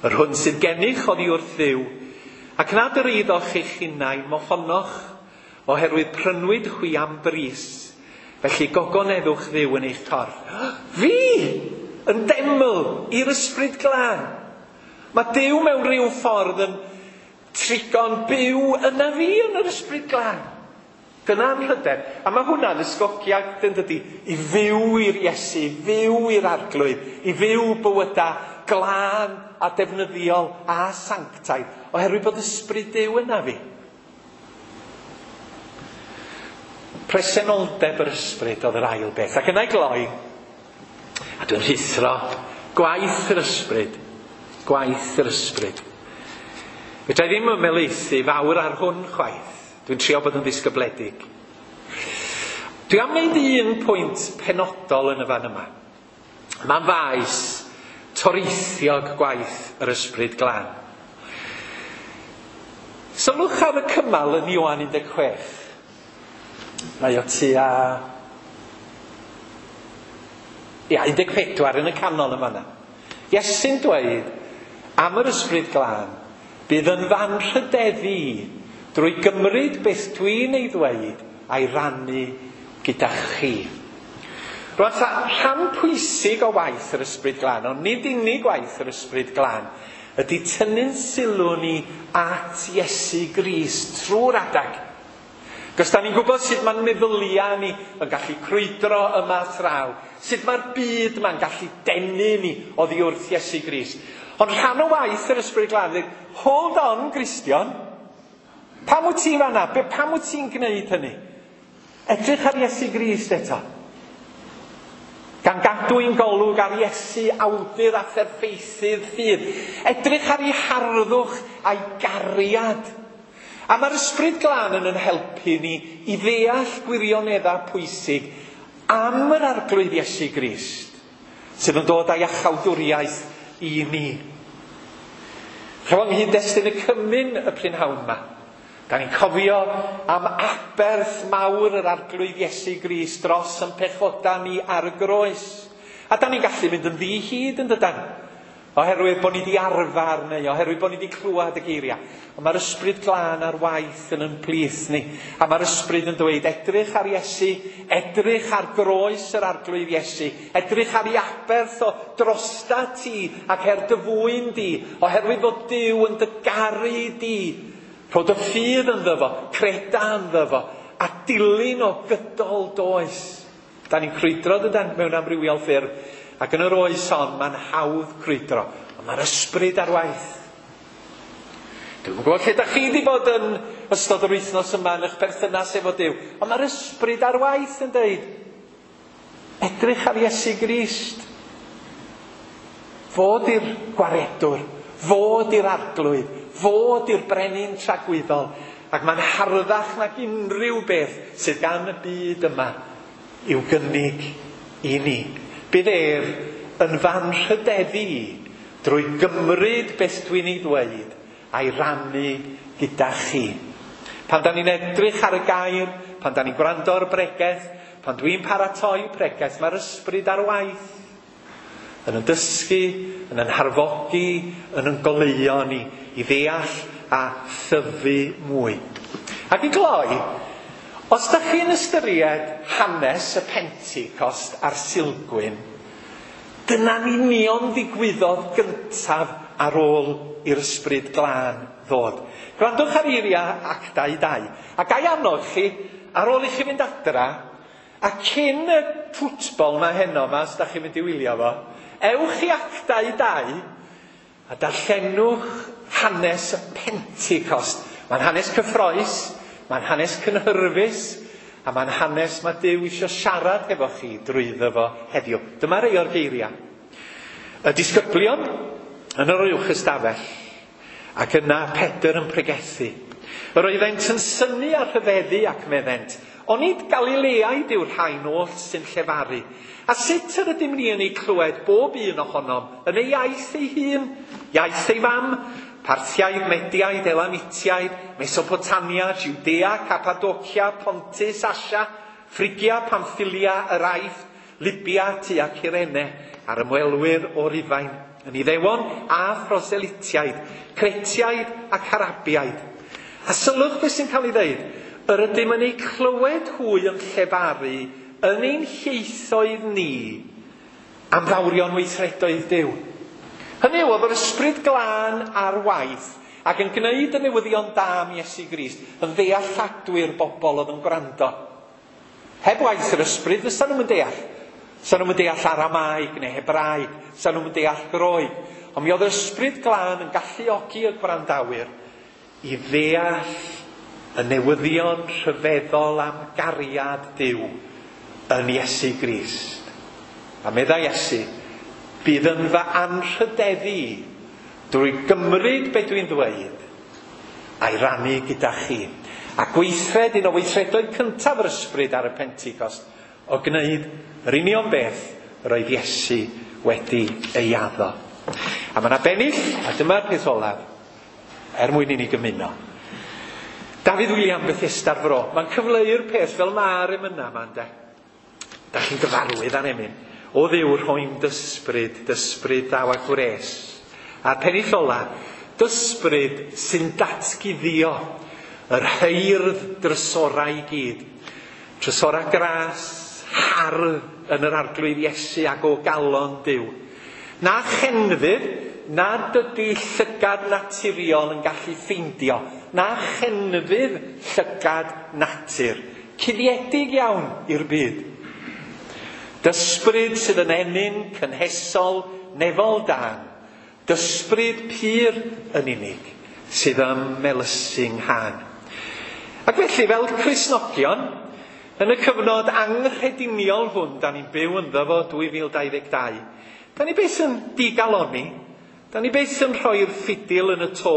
yr hwn sydd gennych oddi wrth Dduw, ac nad yr eiddoch eich hunain mohonoch, oherwydd prynwyd chwi am bris, felly gogoneddwch Dduw yn eich corff. Fi! Yn deml i'r ysbryd glân! Mae Duw mewn rhyw ffordd yn trigo'n byw yna fi yn yr Ysbryd Glân. Dyna'n hyder. A mae hwnna'n ysgogiad, yn dydi, i fyw i'r Iesu, i fyw i'r Arglwydd, i fyw bywydau glân a defnyddiol a sanctaidd, oherwydd bod Ysbryd Duw yna fi. Presenoldeb yr Ysbryd oedd yr ail beth. Ac yna i gloi, a dwi'n rhuthro, gwaith yr Ysbryd. Gwaith yr Ysbryd. Fedra i ddim ymhelaethu fawr ar hwn chwaith. Dwi'n trio bod yn ddisgybledig. Dwi am wneud un pwynt penodol yn y fan yma. Mae'n faes toreithiog gwaith yr Ysbryd Glân. Sylwch ar y cymal yn Ioan 16. Mae o tua 14 yn y canol yn fanna. Iesu'n dweud am yr Ysbryd Glân, bydd yn fan rhydeddu drwy gymryd beth dwi'n ei ddweud a'i rannu gyda chi. Rwan ta, rhan pwysig o waith yr Ysbryd Glân, ond nid unig waith yr Ysbryd Glân, ydy tynnu'n sylw ni at Iesu Grist trwy'r adag. Cos da ni'n gwybod sut mae'n meddyliau ni yn gallu crwydro yma thraw, sut mae'r byd yma'n gallu denu ni oddi wrth Iesu Grist. Ond rhan o waith yr Ysbryd Glân ydy, hold on, Gristion, pam wyt ti fanna? Pam wyt ti'n gwneud hynny? Edrych ar Iesu Grist eto. Gan gadw ein golwg ar Iesu, awdur a pherffeithydd ffydd. Edrych ar ei harddwch a'i gariad. A mae'r Ysbryd Glân yn helpu ni i ddeall gwirioneddau pwysig am yr Arglwydd Iesu Grist, sydd yn dod â'i iachawdwriaeth i ni. Rhwng nghyd-destun y cymun y prynhawn yma, da ni'n cofio am aberth mawr yr Arglwydd Iesu Grist dros yn pechoda ni ar y groes. A da ni'n gallu mynd yn ddi-hid yn dydan? Oherwydd bod ni wedi arfer neu oherwydd bod ni wedi clywed y geiriau. Ond mae'r Ysbryd Glân ar waith yn ein plith ni. A mae'r Ysbryd yn dweud, edrych ar Iesu, edrych ar groes yr Arglwydd Iesu, edrych ar ei aberth o drosta ti ac er dy fwyn di, oherwydd bod Duw yn dy garu di. Rho dy ffydd ynddo fo, creda ynddo fo, a dilyn o gydol does. Da ni'n crwydro dydan mewn amrywiol ffyrdd. Ac yn yr oes hon, mae'n hawdd crwydro. Ond mae'r Ysbryd ar waith. Dwi'm yn gwybod lle da chi wedi bod yn ystod yr wythnos yma yn eich perthynas efo Duw. Ond mae'r Ysbryd ar waith yn dweud, edrych ar Iesu Grist. Fod i'r gwaredwr, fod i'r Arglwydd, fod i'r brenin tragwyddol. Ac mae'n harddach nag unrhyw beth sydd gan y byd yma i'w gynnig i ni. Bydd ef yn fan rhydeddu i drwy gymryd beth dwi'n ei ddweud a'i rannu gyda chi. Pan da ni'n edrych ar y gair, pan da ni'n gwrando ar y bregeth, pan dwi'n paratoi pregeth, mae'r Ysbryd ar waith. Yn yn dysgu, yn yn harfogi, yn yn goleuo ni i ddeall a thyfu mwy. Ac i gloi, os da chi'n ystyried hanes y Pentecost a'r Sulgwyn, dyna'n union ddigwyddodd gyntaf ar ôl i'r Ysbryd Glân ddod. Gwrandwch ar eiriau Actau 2. A ga i annog chi, ar ôl i chi fynd adra, a cyn y ffwtbol ma heno ma, os da chi'n mynd i wylio fo, ewch i Actau 2 a darllenwch hanes y Pentecost. Mae'n hanes cyffrous, mae'n hanes cynhyrfus, a mae'n hanes mae Duw eisiau siarad efo chi drwyddo fo heddiw. Dyma rei o'r geiriau. Y disgyblion yn yr uwch ystafell, ac yna Pedr yn pregethu. Yr oeddent yn synnu a rhyfeddu ac meddent, onid Galileaid yw'r rhain oll sy'n llefaru? A sut yr ydym ni yn ei clywed bob un ohonom yn ei iaith ei hun, iaith ei fam, Parthiaid, Mediaid, Elamitiaid, Mesopotamia, Judea, Cappadocia, Pontus, Asia, Phrygia, Pamphylia, yr Aifft, Libia, tua Cyrene, a'r ymwelwyr o Rufain, yn Iddewon a Phroselitiaid, Cretiaid ac Arabiaid. A sylwch beth sy'n cael ei ddeud, yr ydym yn eu clywed hwy yn llefaru yn ein hieithoedd ni am fawrion weithredoedd Duw. Hynny yw, oedd yr ysbryd glân ar waith ac yn gwneud y newyddion da am Iesu Grist yn ddealladwy'r bobl oedd yn gwrando. Heb waith yr ysbryd, fysa nhw'n deall. Sa nhw'n deall Aramaeg neu Hebraeg, sa nhw'n deall Groeg. Ond mi oedd yr ysbryd glân yn galluogi y gwrandawyr i ddeall y newyddion rhyfeddol am gariad Duw yn Iesu Grist. A meddai Iesu, bydd yn fy anrhydeddu i drwy gymryd be dwi'n ddweud a'i rannu gyda chi. A gweithred un o weithredoedd cyntaf yr ysbryd ar y Pentecost o gwneud yr union beth yr oedd Iesu wedi ei addo. A mae yna bennill, a dyma'r peth olaf, er mwyn i ni gymuno. Dafydd William Bethesda'r Fro. Mae'n cyfleu'r peth fel mae'r emyna yma, ynde? Da chi'n gyfarwydd â'r emyn. O Dduw rhoi'n dysbryd, dysbryd ddaw a gwres. A'r pennill ola, dysbryd sy'n datguddio yr heirdd drysorau i gyd. Trysorau gras, hardd yn yr arglwydd Iesu ac o galon Duw. Na chenfydd, nad ydy llygad naturiol yn gallu ffeindio. Na chenfydd llygad natur. Cuddiedig iawn i'r byd. Dysbryd sydd yn ennyn cynhesol nefol dân. Dysbryd pur yn unig sydd ym melysu nghân. Ac felly, fel Cristnogion, yn y cyfnod anghrediniol hwn da ni'n byw ynddo fo 2022, da ni byth yn digalonni, da ni byth yn rhoi'r ffidil yn y to,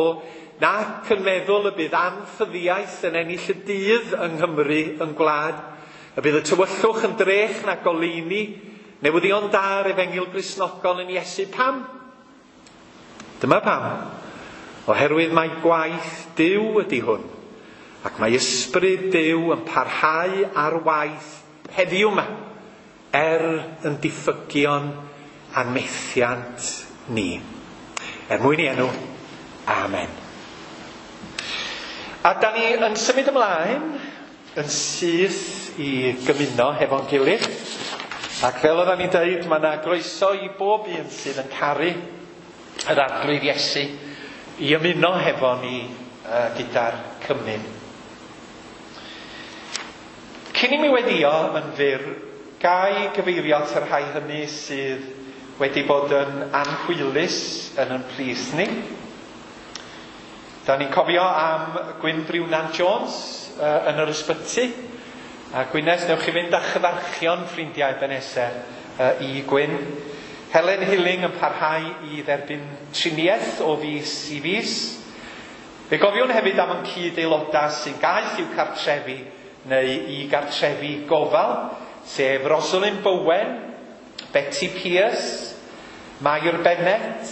nac yn meddwl y bydd anffyddiaeth yn ennill y dydd yng Nghymru yn gwlad, y bydd y tywyllwch yn drech na goleuni, newyddion da'r efengyl Gristnogol yn Iesu. Pam? Dyma pam. Oherwydd mae gwaith Duw ydy hwn, ac mae ysbryd Duw yn parhau ar waith heddiw yma, er yn diffygion a'n methiant ni. Er mwyn i enw, amen. A da ni yn symud ymlaen yn syth i gymuno hefo'n gilydd. Ac fel oedden ni'n dweud, mae yna groeso i bob un sydd yn caru yr arglwydd Iesu i ymuno hefo ni gyda'r cymun. Cyn i mi weddio yn fyr, gai gyfeirio at y rhai hynny sydd wedi bod yn anhwylus yn ein plith ni. Da ni'n cofio am Gwyn Briwnan Jones yn yr ysbyty. A Gwyneth, newch chi fynd â chyfarchion ffrindiau Ebenezer i Gwyn. Helen Hilling yn parhau i dderbyn triniaeth o fis i fis. Fe gofiwn hefyd am ein cyd-aelodau sy'n gaeth i'w cartrefi neu i gartrefi gofal, sef Rosalind Bowen, Betty Pierce, Mair Bennett,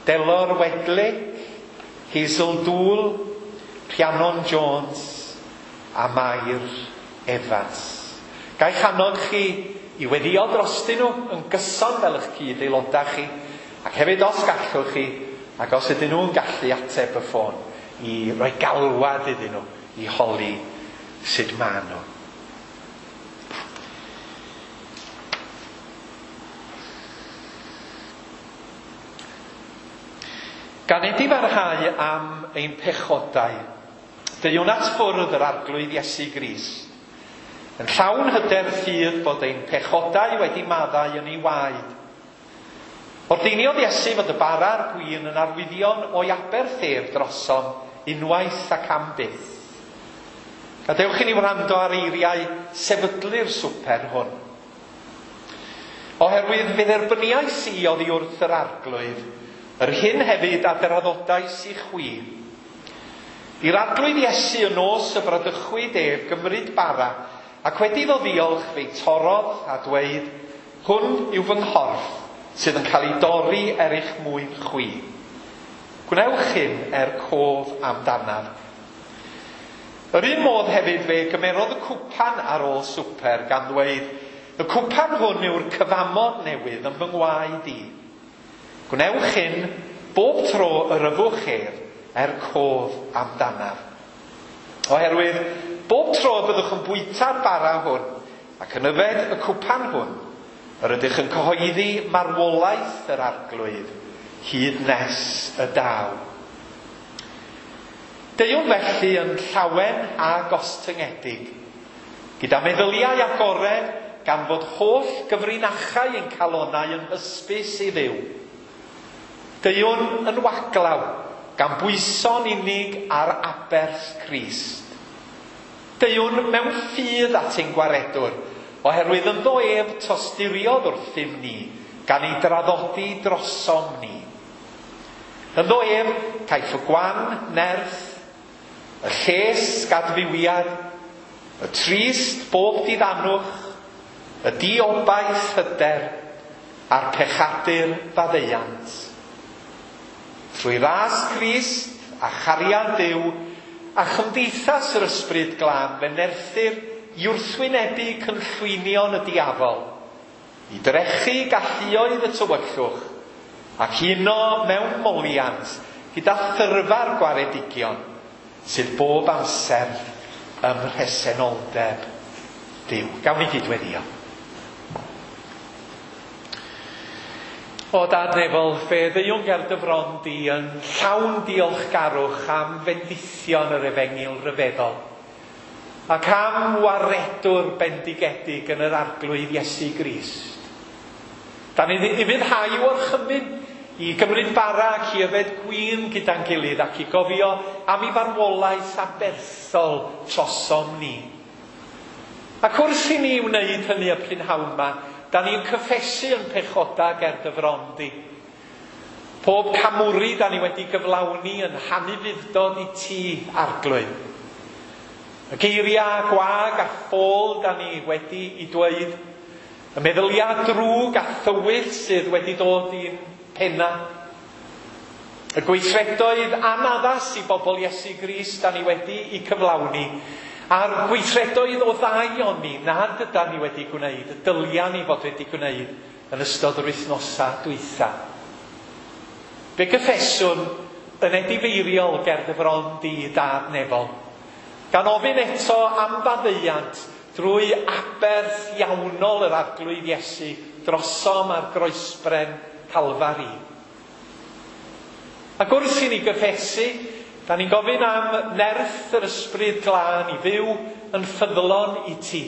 Delor Wedley, Hazel Dool, Rhiannon Jones a Mair Evans. Gai annog chi i weddio drostyn nhw yn gyson fel eich cyd-aelodau chi, ac hefyd os gallwch chi, ac os ydyn nhw'n gallu ateb y ffôn, i roi galwad iddyn nhw, i holi sut maen nhw. Gan edifarhau am ein pechodau, deuwn at ffwrdd yr arglwydd Iesu Grist, yn llawn hyder ffydd bod ein pechodau wedi maddau yn ei waed. Ordeiniodd Iesu fod y bara a'r gwin yn arwyddion o'i aberth ef drosom unwaith ac am byth. Gadewch i ni wrando ar eiriau sefydlu'r swper hwn. Oherwydd fe dderbyniais i oddi wrth yr arglwydd, yr hyn hefyd a draddodais i chwi. I'r arglwydd Iesu y nos y bradychwyd ef gymryd bara, ac wedi iddo ddiolch fe'i torrodd a dweud, hwn yw fy nghorff sydd yn cael ei dorri er eich mwyn chwi. Gwnewch hyn er cof amdanaf. Yr un modd hefyd fe gymerodd y cwpan ar ôl swper gan ddweud, y cwpan hwn yw'r cyfamod newydd yn fy ngwaed i. Gwnewch hyn bob tro yr yfwch ef er cof amdanaf. Oherwydd bob tro y byddwch yn bwyta'r bara hwn ac yn yfed y cwpan hwn, yr ydych yn cyhoeddi marwolaeth yr arglwydd hyd nes y daw. Deuwn felly yn llawen a gostyngedig, gyda meddyliau agored gan fod holl gyfrinachau ein calonau yn hysbys i Dduw. Deuwn yn waglaw, gan bwyso'n unig ar aberth Crist. Deuwn mewn ffydd at ein gwaredwr, oherwydd ynddo ef tosturiodd wrthym ni, gan ei draddodi drosom ni. Ynddo ef caiff y gwan nerth, y lles gadfywiad, y trist bob diddanwch, y diobaith hyder, a'r pechadur faddeuant. Trwy ras Crist a chariad Duw a chymdeithas yr Ysbryd Glân fe nerthir i wrthwynebu cynllwynion y diafol, i drechu galluoedd y tywyllwch, ac uno mewn moliant gyda thyrfa'r gwaredigion sydd bob amser ym mhresenoldeb Duw. Gawn ni gyd-weddïo. O Dad nefol, fe ddeuwn ger dy fron di yn llawn diolchgarwch am fendithion yr efengyl ryfeddol, ac am waredwr bendigedig yn yr Arglwydd Iesu Grist. Da ni ufuddhau orchymyn i gymryd bara ac i yfed gwin gyda'n gilydd ac i gofio am ei farwolaeth aberthol trosom ni. Ac wrth i ni wneud hynny y prynhawn 'ma, da ni'n cyffesu yn pechoda ger dy fron di. Pob camwri da ni wedi gyflawni yn hanufudd-dod i ti, Arglwydd. Y geiriau gwag a ffôl da ni wedi i dweud, y meddyliau drwg a thywyll sydd wedi dod i'n penna, y gweithredoedd anaddas i bobl Iesu Grist da ni wedi i cyflawni, a'r gweithredoedd o ddaioni nad ydan ni wedi gwneud, y dylia ni fod wedi gwneud yn ystod yr wythnosa dwytha. Fe gyffeswn yn edifeiriol ger dy fron di, Dad nefol, gan ofyn eto am faddeuant drwy aberth iawnol yr Arglwydd Iesu drosom ar groesbren Calfari. Ac wrth i ni gyffesu, da ni'n gofyn am nerth yr Ysbryd Glân i fyw yn ffyddlon i ti.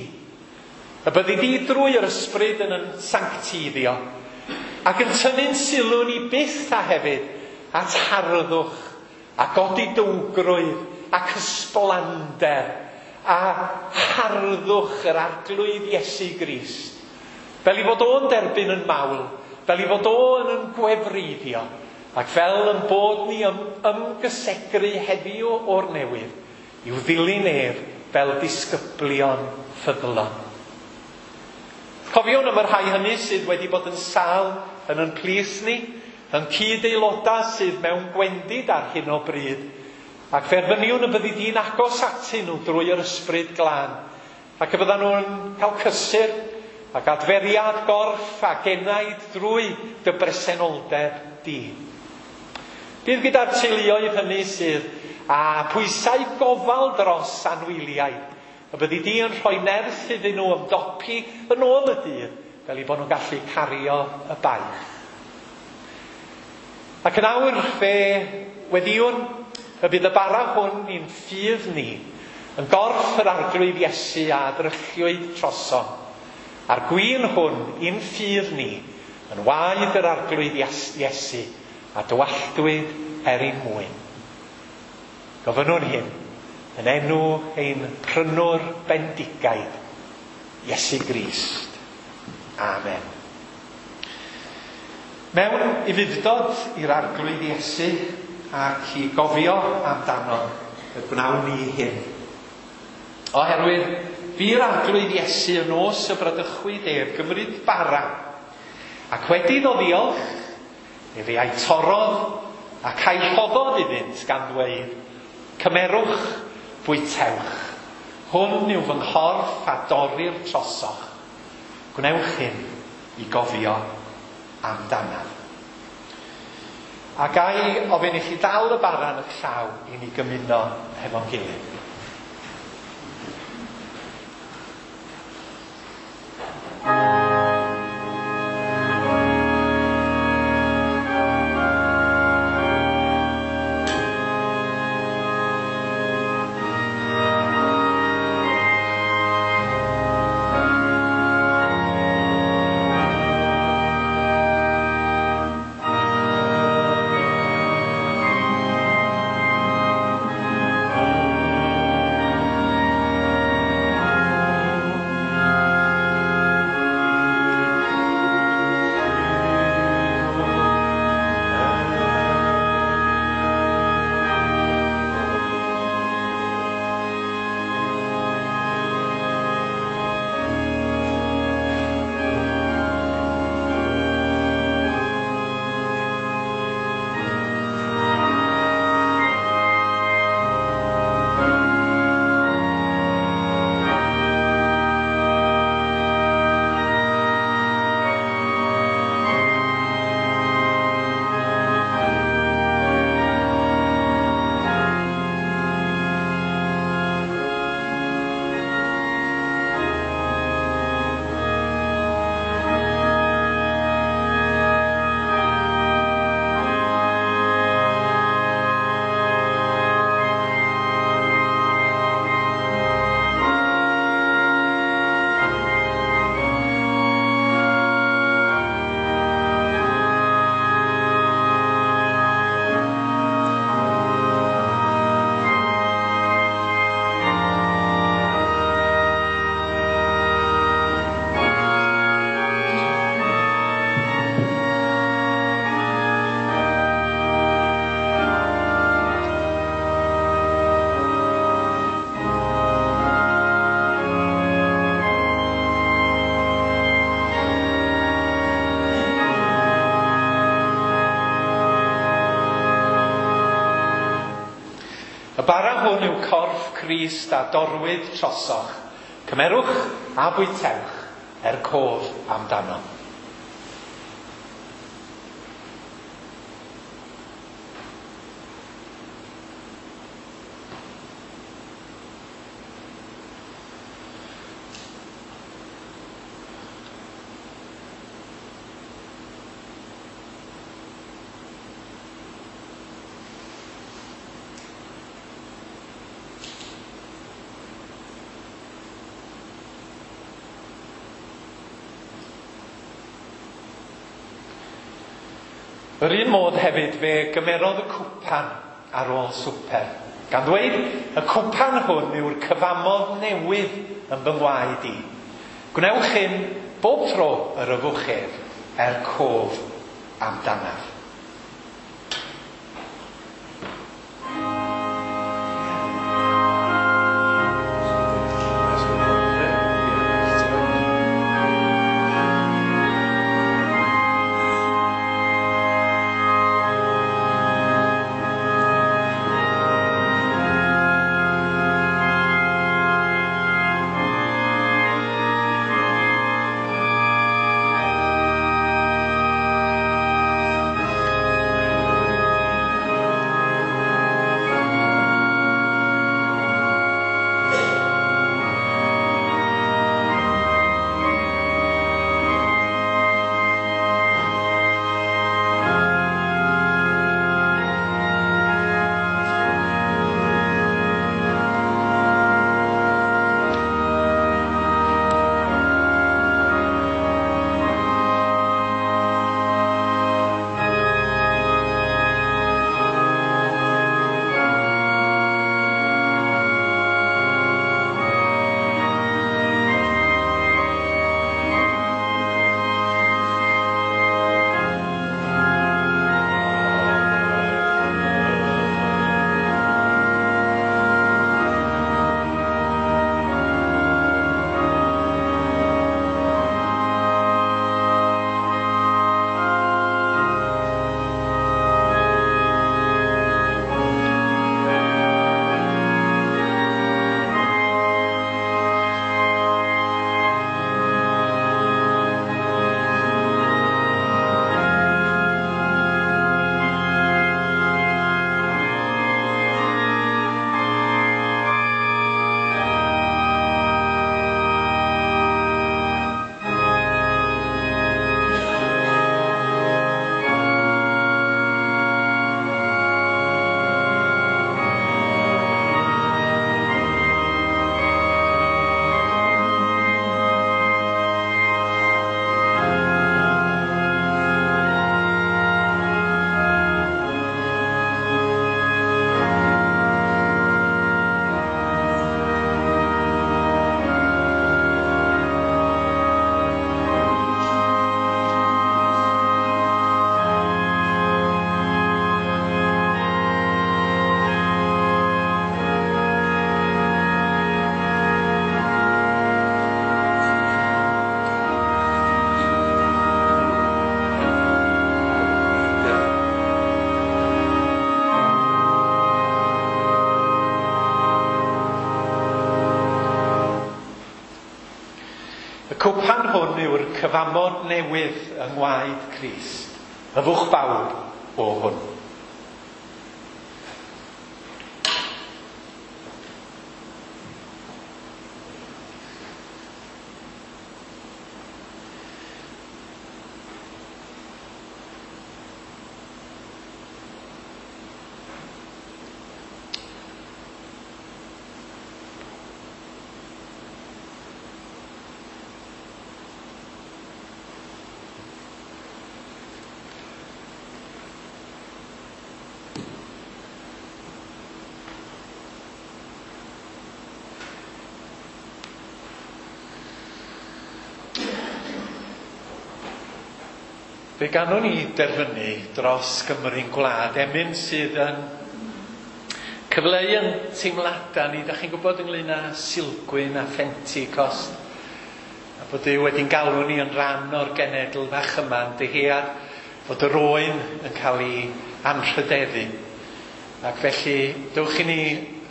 Y byddi di drwy yr Ysbryd yn yn sancteiddio, ac yn tynnu'n sylw ni byth a hefyd at harddwch a godidowgrwydd ac ysblander a harddwch yr Arglwydd Iesu Grist. Fel i fod o'n derbyn yn mawl, fel i fod o'n yn gwefreiddio, ac fel yn bod ni ymgysegru heddiw o'r newydd i'w ddilyn ef fel disgyblion ffyddlon. Cofiwn am y rhai hynny sydd wedi bod yn sâl yn yn plith ni, yn cyd-aelodau sydd mewn gwendid ar hyn o bryd, ac fe erfyniwn y byddi di'n agos atyn nhw drwy yr Ysbryd Glân, ac y byddan nhw'n cael cysur ac adferiad gorff ac enaid drwy dy bresenoldeb di. Bydd gyda'r teuluoedd hynny sydd â pwysau gofal dros anwyliaid, y byddi di yn rhoi nerth iddyn nhw ymdopi yn ôl y dydd, fel eu bod nhw'n gallu cario y baich. Ac yn awr fe weddïwn y bydd y bara hwn i'n ffydd ni, yn gorff yr Arglwydd Iesu a ddrychiwyd trosom, a'r gwin hwn i'n ffydd ni, yn waed yr Arglwydd Iesu, a dywalltwyd er ein mwyn. Gofynnwn hyn yn enw ein prynwr bendigaid, Iesu Grist. Amen. Mewn ufudd-dod i'r Arglwydd Iesu ac i gofio amdano, y gwnawn ni hyn. Oherwydd bu'r Arglwydd Iesu y nos y bradychwyd ef gymryd bara, ac wedi iddo ddiolch, efe a'i torrodd ac a'i rhoddodd iddynt gan ddweud, cymerwch, bwytewch. Hwn yw fy nghorff a dorrir trosoch. Gwnewch hyn i gofio amdanaf. A ga i ofyn i chi ddal y bara yn eich llaw i ni gymuno hefo'n gilydd. Bara hwn yw corff Crist a dorwyd trosoch. Cymerwch a bwytewch er cof amdano. Yr un modd hefyd fe gymerodd y cwpan ar ôl swper, gan ddweud, y cwpan hwn yw'r cyfamod newydd yn fy ngwaed i. Gwnewch hyn bob tro yr yfwch ef er cof amdanaf. Y cwpan hwn yw'r cyfamod newydd yng ngwaed Crist. Yfwch bawb o hwn. Fe ganwn ni derfynu dros Gymru'n gwlad, emyn sydd yn cyfleu yn teimladau ni, da chi'n gwybod ynglyn â Sulgwyn a Phentecost, a bod Duw wedi'n galw ni yn rhan o'r genedl fach yma, yn dyhead fod yr oen yn cael ei anrhydeddu. Ac felly, dewch i ni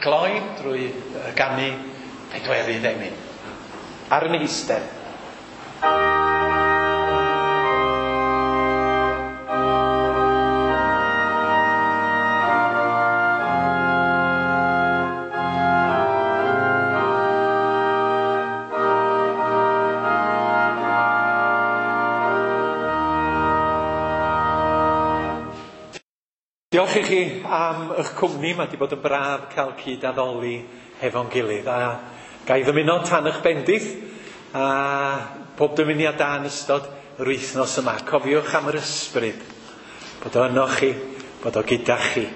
gloi drwy ganu pedwerydd emyn. Ar yn eistedd. Diolch i chi am eich cwmni, mae wedi bod yn braf cael cyd-addoli hefo'n gilydd. A ga i ddymuno tan eich bendith a pob dymuniad da yn ystod yr wythnos yma. Cofiwch am yr ysbryd, bod o yno chi, bod o gyda chi.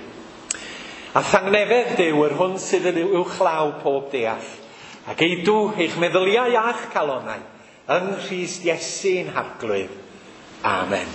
A thangnefedd Duw, yr hwn sydd yn uwchlaw pob deall, ac eidw eich meddyliau a'ch calonau yng Nghrist Iesu'n Harglwydd. Amen.